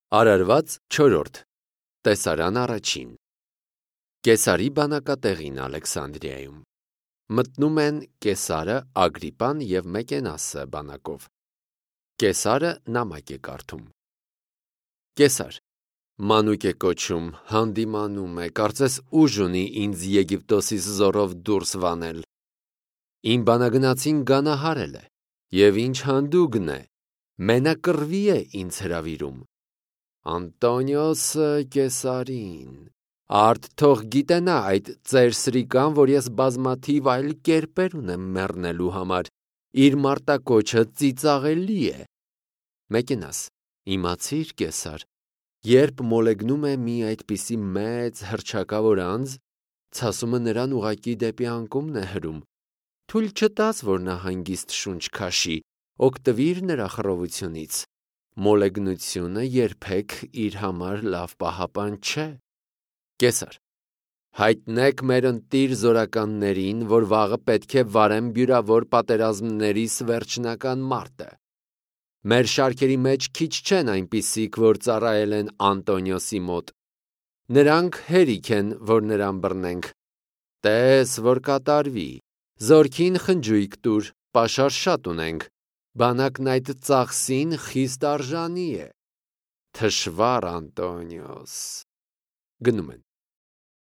Արարված 4. Տեսարան առաջին. Կեսարի բանակատեղին Ալեքսանդրիայում մտնում են Կեսարը, Ագրիպան և Մեկենասը բանակով։ Կեսարը նամակ է կարդում. Կեսար, մանուկ է կոչում, հանդիմանում է, կարծես ուժ ունի ինձ Եգիպտոսից զորով դուրս վանել։ Իմ բանագնացին գանահարել է, և ինչ հանդուգն է, մենակռվի է ինձ հրավիրում։ Անտոնիոսը Կեսարին, արդ թող գիտենա այդ ծեր սրիկան, որ ես բազմաթիվ այլ կերպեր ունեմ մեռնելու համար, իր մարտակոչը ծիծաղելի է։ Մեկենաս, իմացիր Կեսար, երբ մոլեգնում է մի այդպիսի մեծ հռչակավոր անձ, ցասումը նրան ուղղակի դեպի անկումն է հրում, թույլ չտաս, որ նա հանգիստ շունչ քաշի, օգտվիր նրա խռովությունից, մոլեգնությունը երբեք իր համար լավ պահապան չէ։ Կեսար, հայտնեք մեր ընտիր զորականներին, որ վաղը պետք է վարեն բյուրավոր պատերազմներիս վերջնական մարտը։ Մեր շարքերի մեջ քիչ չեն այնպիսիք, որ ծառայել են Անտոնիոսի մոտ։ Նրանք հերիք են, որ նրան բռնենք։ Տես, որ կատարվի, զորքին խնջույք տուր, պաշար շատ ունենք, բանակն այդ ծախսին խիստ արժանի է։ Թշվառ Անտոնիոս։ Գնում են։